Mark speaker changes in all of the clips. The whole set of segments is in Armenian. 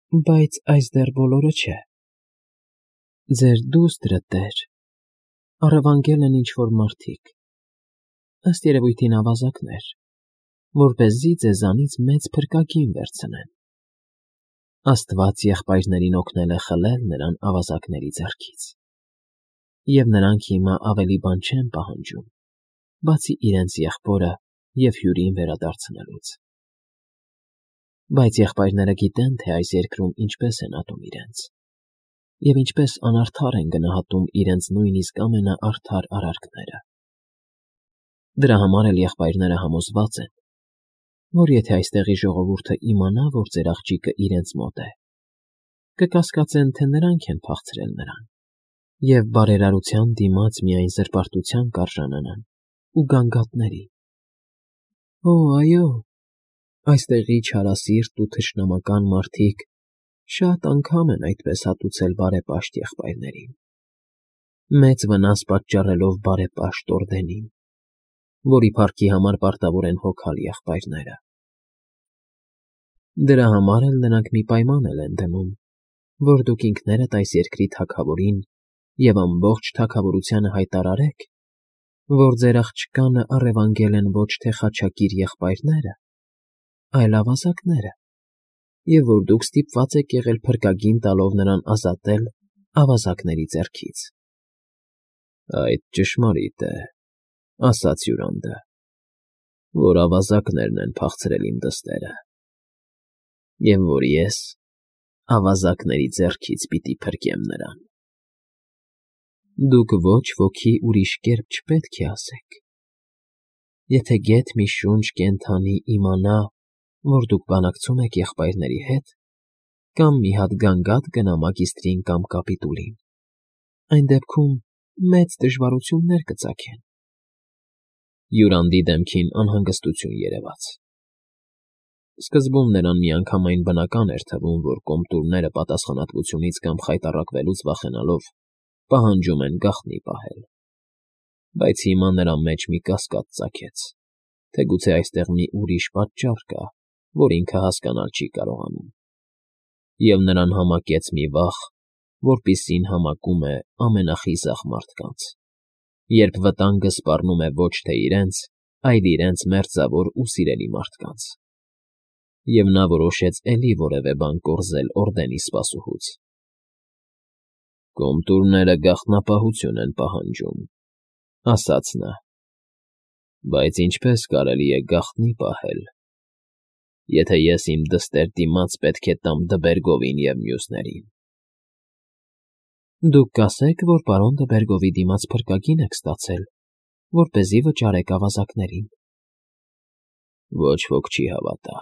Speaker 1: Բայց այս դեռ բոլորը չէ։ Ձեր դուստրը, տեր, առևանգել են ինչ֊որ մարդիկ, ըստ երևույթին ավազակներ, որպեսզի ձեզանից մեծ փրկագին վերցնեն։ Աստված եղբայրներին օգնել է խլել նրան ավազակների ձեռքից, և նրանք հիմա ավելի բան չեն պահանջում, բացի իրենց եղբորը և հյուրին վերադարձնելուց։ Բայց եղբայրները գիտեն, թե այս երկրում ինչպես են ատում իրենց, և ինչպես անարդար են գնահատում իրենց նույնիսկ ամենաարդար արարքները։ Դրա համար էլ եղբայրները համոզված են, որ եթե այստեղի ժողովուրդը իմանա, որ ձեր աղջիկը իրենց մոտ է, կկասկածեն, թե նրանք են փախցրել նրան, և բարերարության դիմաց միայն զրպարտության կարժանանան ու գանգատների։ Օ, այո, այստեղի չարասիրտ ու թշնամական մարդիկ շատ անգամ են այդպես հատուցել բարեպաշտ եղբայրներին, մեծ վնաս պատճառելով բարեպաշտ Օրդենին, որի փառքի համար պարտավոր են հոգալ եղբայրները։ Դրա համար էլ նրանք մի պայման էլ են դնում, որ դուք ինքներդ այս երկրի թագավորին և ամբողջ թագավորությանը հայտարարեք, որ ձեր աղջկանը առևանգել են ոչ թե խաչակիր եղբայրները, այլ ավազակները, և որ դուք ստիպված եք եղել փրկագին տալով նրան ազատել ավազակների ձեռքից։ Այդ ճշմարիտ է, ասաց հյուրանդը, որ ավազակներն են փախցրել իմ դստերը, և որ ես ավազակների ձեռքից պիտի փրկեմ նրան։ Դուք ոչ ոքի ուրիշ կերպ չպետք է ասեք։ Եթե գեթ մի շունչ կենդանի իմանա, որ դուք բանակցում եք եղբայրների հետ, կամ մի հատ գանգատ գնա մագիստրին կամ կապիտուլին, այն դեպքում մեծ դժվարություններ կծագեն։ Հյուրանդի դեմքին անհանգստություն երևաց։ Սկզբում նրան միանգամայն բնական էր թվում, որ կոմտուրները պատասխանատվությունից կամ խայտառակվելուց վախենալով պահանջում են գաղտնի պահել, բայց հիմա նրա մեջ մի կասկած ծագեց, թե գուցե այստեղ մի ուրիշ պատճառ կա, որ ինքը հասկանալ չի կարողանում, և նրան համակեց մի վախ, որպիսին համակում է ամենախիզախ մարդկանց, երբ վտանգը սպառնում է ոչ թե իրենց, այլ իրենց մերձավոր ու սիրելի մարդկանց։ Եվ նա որոշեց էլի որևէ բան կորզել Օրդենի սպասուհուց։ Կոմտուրները գաղտնապահություն են պահանջում, ասաց նա, բայց ինչպես կարելի է գաղտնի պահել, եթե ես իմ դստեր դիմաց պետք է տամ Դբերգովին և մյուսներին։ Դուք կասեք, որ պարոն Դբերգովի դիմաց փրկագին եք ստացել, որպեսզի վճարեք ավազակներին։ Ոչ ոք չի հավատա։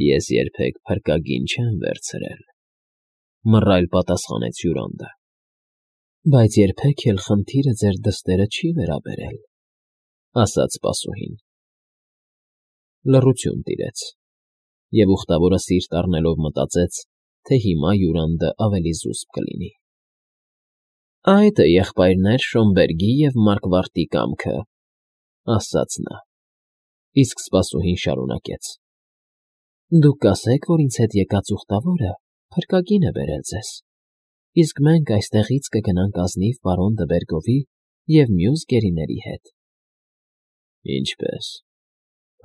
Speaker 1: Ես երբեք փրկագին չեմ վերցրել, մռայլ պատասխանեց հյուրանդը։ Բայց երբեք էլ խնդիրը ձեր դստերը չի վերաբերել, ասաց սպասուհին։ Լռություն տիրեց, և ուխտավորը սիրտ առնելով մտածեց, թե հիմա հյուրանդը ավելի զուսպ կլինի։ Այդ է, եղբայրներ, Շոմբերգի և Մարկվարտի կամքը, ասաց նա, իսկ սպասուհին շարունակեց. Դուք կասեք, որ ինձ հետ եկած ուխտավորը փրկագին է բերել ձեզ, իսկ մենք այստեղից կգնանք ազնիվ պարոն Դբերգովի և մյուս գերիների հետ։ Ինչպե՞ս,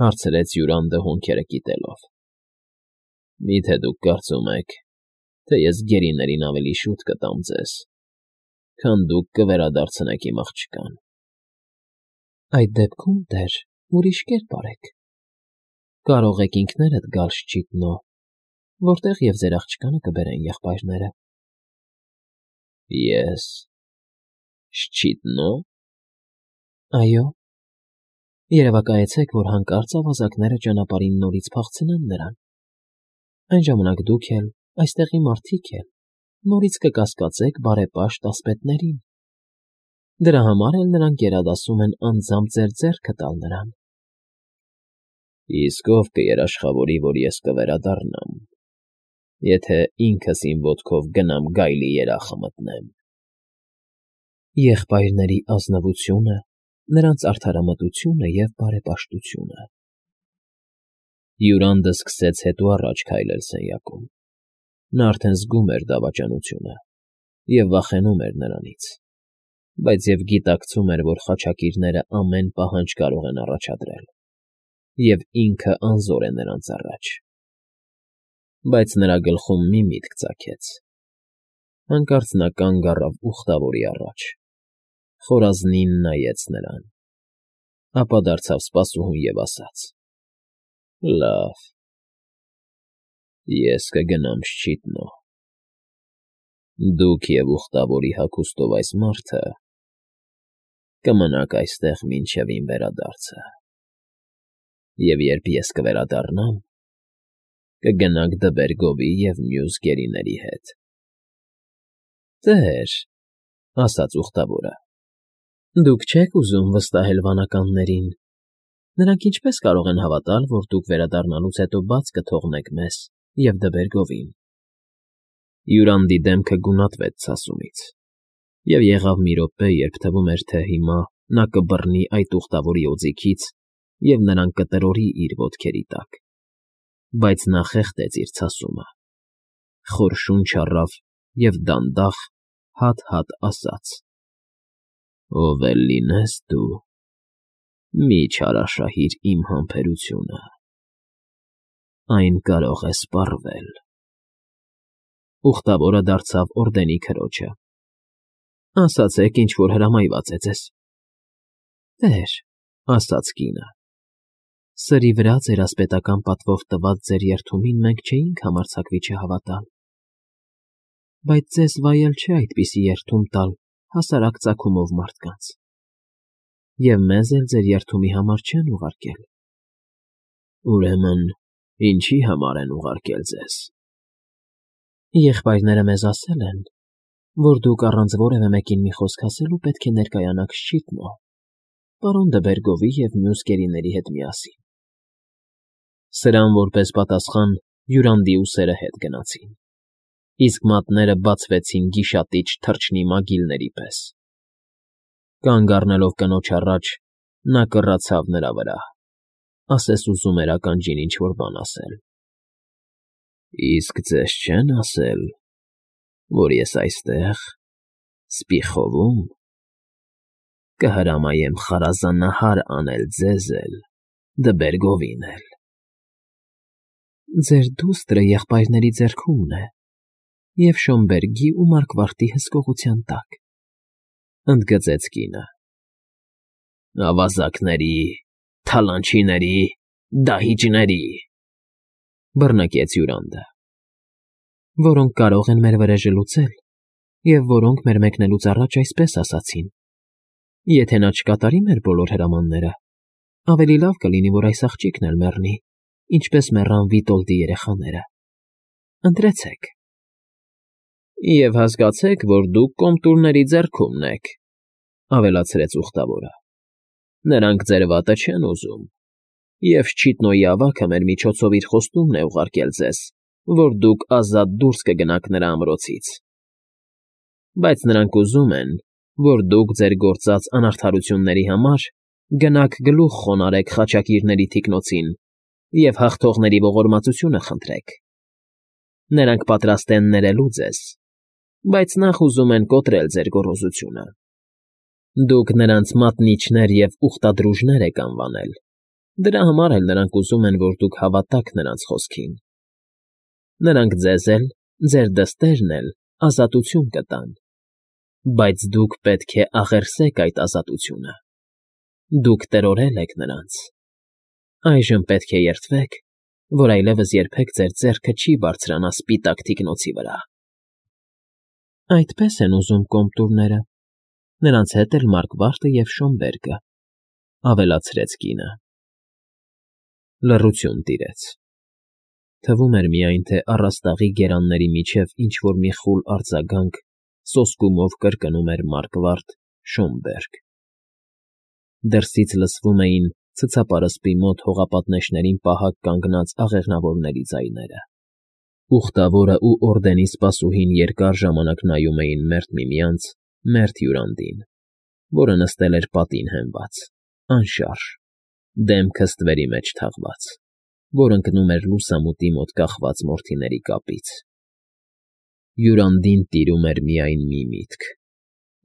Speaker 1: հարցրեց հյուրանդը հոնքերը կիտելով։ Միթե դուք կարծում եք, թե ես գերիներին ավելի շուտ կտամ ձեզ, քան դուք կվերադարձնեք իմ աղջկան։ Այդ դեպքում, տեր, ուրիշ կերպ արեք։ Կարող եք ինքներդ գալ Շչիտնո, որտեղ և ձեր աղջկանը կբերեն եղբայրները։ Ես… Շչիտնո՞։ Այո։ Երևակայեցեք, որ հանկարծ ավազակները ճանապարհին նորից փախցնեն նրան։ Այն ժամանակ դուք էլ, այստեղի մարդիկ էլ, նորից կկասկածեք բարեպաշտ ասպետներին։ Դրա համար էլ նրանք գերադասում են անձամբ ձեր ձեռքը տալ նրան։ Իսկ ով կերաշխավորի, որ ես կվերադառնամ, եթե ինքս իմ ոտքով գնամ գայլի երախը մտնեմ։ Եղբայրների ազնվությունը, նրանց արդարամտությունը և բարեպաշտությունը։ Յուրանդը սկսեց հետո առաջ քայլել սենյակում։ Նա արդեն զգում էր դավաճանությունը և վախենում էր նրանից, բայց և գիտակցում էր, որ խաչակիրները ամեն պահանջ կարող են առաջադրել, և ինքը անզոր է նրանց առաջ։ Բայց նրա գլխում մի միտք ծագեց։ Հանկարծ նա կանգ առավ ուխտավորի առաջ, խորազնին նայեց նրան, ապա դարձավ սպասուհուն և ասաց. «Լավ, ես կգնամ շչիտնո։ Դուք և ուխտավորի հագուստով այս մարդը կմնաք այստեղ մինչև իմ վերադարձը, և երբ ես կվերադառնամ, կգնաք Դվերգովի և մյուս գերիների հետ»։ «Տեր,֊ ասաց ուխտավորը,֊ դուք չեք ուզում վստահել վանականներին. նրանք ինչպե՞ս կարող են հավատալ, որ դուք վերադառնալուց հետո բաց կթողնեք մեզ և Դվերգովին»։ Յուրանդի դեմքը գունատվեց ցասումից, և եղավ մի րոպե, երբ թվում էր, թե հիմա նա կբռնի այդ ուխտավորի օձիքից և նրան կտրորի իր ոտքերի տակ, բայց նա խեղդեց իր ցասումը, խոր շունչ առավ և դանդաղ, հատ֊հատ ասաց. «Ով էլ լինես դու, մի չարաշահիր իմ համբերությունը, այն կարող է սպառվել»։ Ուխտավորը դարձավ օրդենի քրոջը. «Ասացեք, ինչ֊որ հրամայված է ձեզ»։ «Տեր,֊ ասաց կինը,֊ սրի վրա ձեր ասպետական պատվով տված ձեր երդումին մենք չէինք համարձակվի չհավատալ, բայց ձեզ վայել չէ այդպիսի երդում տալ հասարակ ծագումով մարդկանց, և մեզ էլ ձեր երդումի համար չեն ուղարկել»։ «Ուրեմն ինչի՞ համար են ուղարկել ձեզ»։ «Եղբայրները մեզ ասել են, որ դուք առանց որևէ մեկին մի խոսք ասելու պետք է ներկայանաք շչիտնո, պարոն Դվերգովի և մյուս գերիների հետ միասին»։ Սրան որպես պատասխան Յուրանդի ուսերը հետ գնացին, իսկ մատները բացվեցին գիշատիչ թռչնի մագիլների պես։ Կանգ առնելով կնոջ առաջ՝ նա կռացավ նրա վրա, ասես ուզում էր ականջին ինչ֊որ բան ասել։ «Իսկ ձեզ չե՞ն ասել, որ ես այստեղ, Սպիխովում, կհրամայեմ խարազանահար անել ձեզ էլ, Դվերգովին էլ»։ «Ձեր դուստրը եղբայրների ձեռքումն է և Շոմբերգի ու Մարգվարտի հսկողության տակ», ընդգծեց կինը։ «Ավազակների, թալանչիների, դահիճների», բռնկեց Յուրանդը, «որոնք կարող են մեր վրեժը լուծել և որոնք մեր մեկնելուց առաջ այսպես ասացին. եթե նա չկատարի մեր բոլոր հրամանները, ավելի լավ կլինի, որ այս աղջիկն էլ մեռնի, ինչպես մեռան Վիտոլդի երեխաները։ Ընտրեցեք»։ «Եվ հասկացեք, որ դուք կոմտուրների ձեռքումն եք», ավելացրեց ուխտավորը։ «Նրանք ձեր վատը չեն ուզում, և Շչիտնոյի ավագը մեր միջոցով իր խոստումն է ուղարկել ձեզ, որ դուք ազատ դուրս կգնաք նրա ամրոցից։ Բայց նրանք ուզում են, որ դուք ձեր գործած անարդարությունների համար գնաք գլուխ խոնարհեք խաչակիրների թիկնոցին և հաղթողների ողորմածությունը խնդրեք։ Նրանք պատրաստ են ներելու ձեզ, բայց նախ ուզում են կոտրել ձեր գոռոզությունը։ Դուք նրանց մատնիչներ և ուխտադրուժներ եք անվանել, դրա համար էլ նրանք ուզում են, որ դուք հավատաք նրանց խոսքին։ Նրանք ձեզ էլ, ձեր դստերն էլ ազատություն կտան, բայց դուք պետք է աղերսեք այդ ազատությունը։ Դուք տրորել եք նրանց։ Այժմ պետք է երդվեք, որ այլևս երբեք ձեր ձեռքը չի բարձրանա սպիտակ թիկնոցի վրա»։ «Այդպես են ուզում կոմտուրները, նրանց հետ էլ Մարգվարտը և Շոմբերգը», ավելացրեց կինը։ Լռություն տիրեց։ Թվում էր միայն, թե առաստաղի գերանների միջև ինչ֊որ մի խուլ արձագանք սոսկումով կրկնում էր Մարգվարտ, Շոմբերգ։ Դրսից լսվում էին ցցապարսպի մոտ հողապատնեշներին պահակ կանգնած աղեղնավորների ձայները։ Ուխտավորը ու օրդենի սպասուհին երկար ժամանակ նայում էին մերթ միմյանց, մերթ Յուրանդին, որը նստել էր պատին հենված, անշարժ, դեմքը ստվերի մեջ թաղված։ որ ընկնում էր լուսամուտի մոտ կախված մորթիների կապից։ Յուրանդին տիրում էր միայն մի միտք.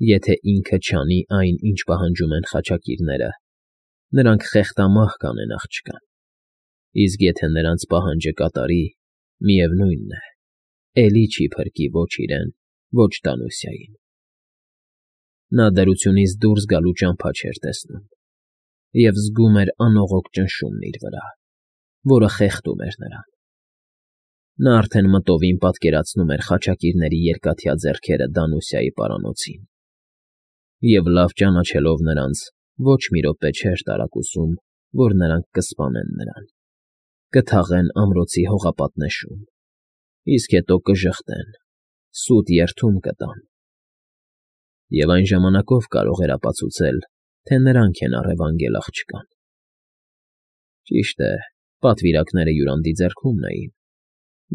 Speaker 1: եթե ինքը չանի այն, ինչ պահանջում են խաչակիրները, նրանք խեղդամահ կանեն աղջկան, իսկ եթե նրանց պահանջը կատարի, միևնույն է, էլի չի փրկի ոչ իրեն, ոչ Դանուսիային։ Նա դրությունից դուրս գալու ճամփա չէր տեսնում և զգում էր անողոք ճնշումն իր վրա, որը խեղդում էր նրան։ Նա արդեն մտովին պատկերացնում էր խաչակիրների երկաթյա ձեռքերը Դանուսիայի պարանոցին և, լավ ճանաչելով նրանց, ոչ մի րոպե չէր տարակուսում, որ նրանք կսպանեն նրան, կթաղեն ամրոցի հողապատնեշում, իսկ հետո կժխտեն, սուտ երդում կտան։ Եվ այն ժամանակով կարող էր ապացուցել, թե նրանք են առևանգել աղջկան։ Ճիշտ է, պատվիրակները Յուրանդի ձեռքումն էին,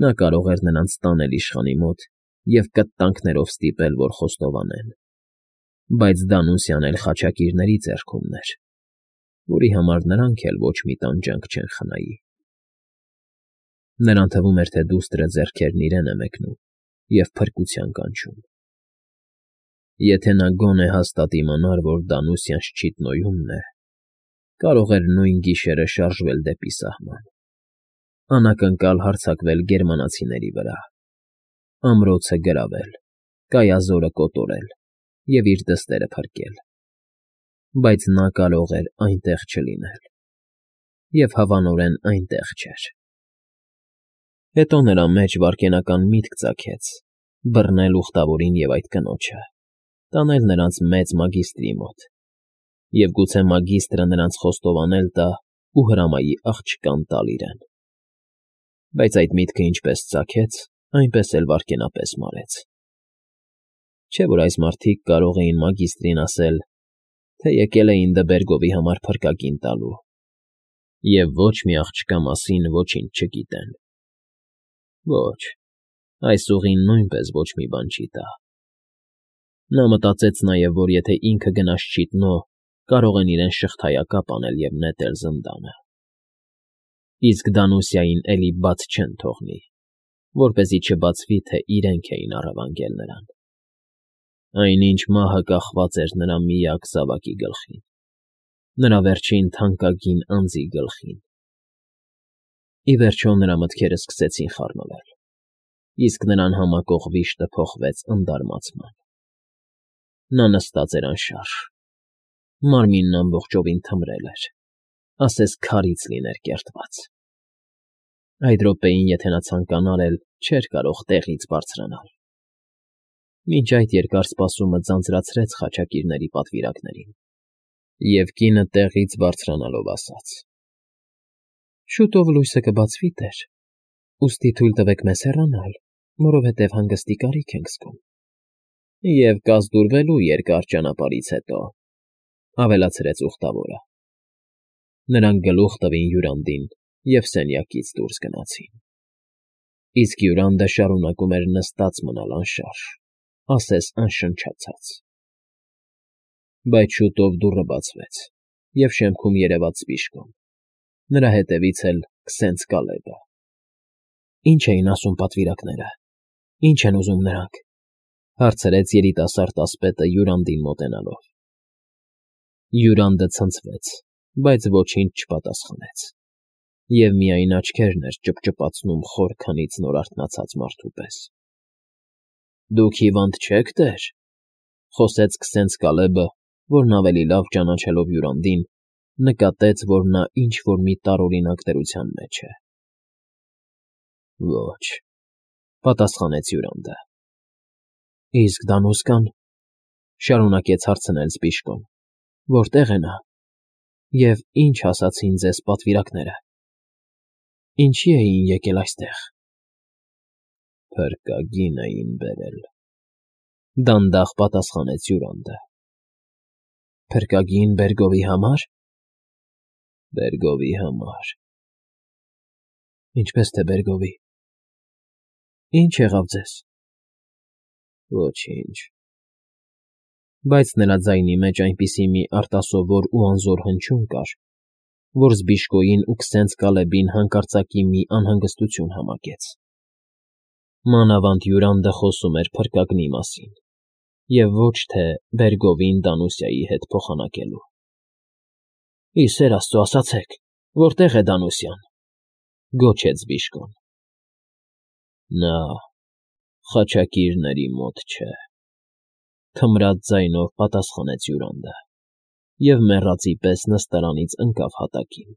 Speaker 1: նա կարող էր նրանց տանել իշխանի մոտ և կտտանքներով ստիպել, որ խոստովանեն, բայց Դանուսիան էլ խաչակիրների ձեռքումն էր, որի համար նրանք էլ ոչ մի տանջանք չեն խնայի։ Նրան թվում էր, թե դուստրը ձեռքերն իրեն է մեկնում և փրկության կանչում։ Եթե նա գոնե հաստատ իմանար, որ Դանուսիան Շչիտնոյումն է, կարող էր նույն գիշերը շարժվել դեպի սահման, անակնկալ հարձակվել գերմանացիների վրա, ամրոցը գրավել, կայազորը կոտորել և իր դստերը փրկել, բայց նա կարող էր այնտեղ չլինել և հավանորեն այնտեղ չէր։ Հետո նրա մեջ վայրկենական միտք ծագեց բռնել ուխտավորին և այդ կնոջը, տանել նրանց մեծ մագիստրի մոտ և գուցե մագիստրը նրանց խոստովանել տա ու հրամայի աղջկան տալ իրեն։ Բայց այդ միտքը ինչպես ծագեց, այնպես էլ վայրկենապես մարեց։ Չէ՞ որ այս մարդիկ կարող էին մագիստրին ասել, թե եկել էին Դբերգովի համար փրկագին տալու և ոչ մի աղջկա մասին ոչինչ չգիտեն։ Ոչ, այս ուղին նույնպես ոչ մի բան չի տա։ Նա մտածեց նաև, որ եթե ինքը գնա Շչիտնո, կարող են իրեն շղթայակապ անել և նետել զնդանը։ Իսկ Դանուսիային էլի բաց չեն թողնի, որպեսզի չբացվի, թե իրենք էին առևանգել նրան։ Այնինչ մահը կախված էր նրա միակ զավակի գլխին, նրա վերջին թանկագին անձի գլխին։ Ի վերջո նրա մտքերը սկսեցին խառնվել, իսկ նրան համակող վիշտը փոխվեց ընդարմացման։ Նա նստած էր անշարժ, մարմինն ամբողջովին թմրել էր, ասես քարից լիներ կերտված։ Այդ րոպեին, եթե նա ցանկանար էլ, չէր կարող տեղից բարձրանալ։ Մինչ այդ երկար սպասումը ձանձրացրեց խաչակիրների պատվիրակներին, և կինը տեղից բարձրանալով ասաց. «Շուտով լույսը կբացվի, տեր, ուստի թույլ տվեք մեզ հեռանալ, որովհետև հանգստի կարիք ենք զգում»։ «Եվ կազդուրվելու երկար ճանապարհից հետո», ավելացրեց ուխտավորը։ Նրանք գլուխ տվին Յուրանդին և սենյակից դուրս գնացին։ Իսկ Յուրանդը շարունակում էր նստած մնալ անշարժ, ասես անշնչացած։ Բայց շուտով դուռը բացվեց, և շեմքում երևաց Սպիշկոն, նրա հետևից էլ Քսենց Կալեբը։ «Ի՞նչ էին ասում պատվիրակները, ի՞նչ են ուզում նրանք», հարցրեց երիտասարդ ասպետը Յուրանդին մոտենալով։ Յուրանդը ցնցվեց, բայց ոչինչ չպատասխանեց, և միայն աչքերն էր ճպճպացնում խոր քնից նոր արթնացած մարդու պես։ «Դուք հիվանդ չե՞ք, տեր», խոսեց Քսենց Կալեբը, որն ավելի լավ ճանաչելով Յուրանդին, նկատեց, որ նա ինչ֊որ մի տարօրինակ դրության մեջ է։ «Ոչ», պատասխանեց Յուրանդը։ «Իսկ Դանուսկան,֊ շարունակեց հարցնել Սպիշկոն,֊ որտե՞ղ է նա, և ի՞նչ ասացին ձեզ պատվիրակները։ Ինչի էին եկել այստեղ»։ «Փրկագին էին բերել», դանդաղ պատասխանեց Յուրանդը։ «Փրկագին Բերգովի համար»։ «Բերգովի համար»։ «Ինչպես թե Բերգովի։ Ի՞նչ եղավ ձեզ»։ «Ոչինչ»։ Բայց նրա ձայնի մեջ այնպիսի մի արտասովոր ու անզոր հնչյուն կար, որ Զբիշկոյին ու քսենց Կալեբին հանկարծակի մի անհանգստություն համակեց. մանավանդ Յուրանդը խոսում էր փրկագնի մասին և ոչ թե Բերգովին Դանուսիայի հետ փոխանակելու։ ֊ Ի սեր աստծո, ասացեք, որտե՞ղ է Դանուսիան,֊ գոչեց Բիժկոն։ ֊ Նա խաչակիրների մոտ չէ,֊ թմրած ձայնով պատասխանեց Յուրանդը և մեռածի պես նստարանից ընկավ հատակին։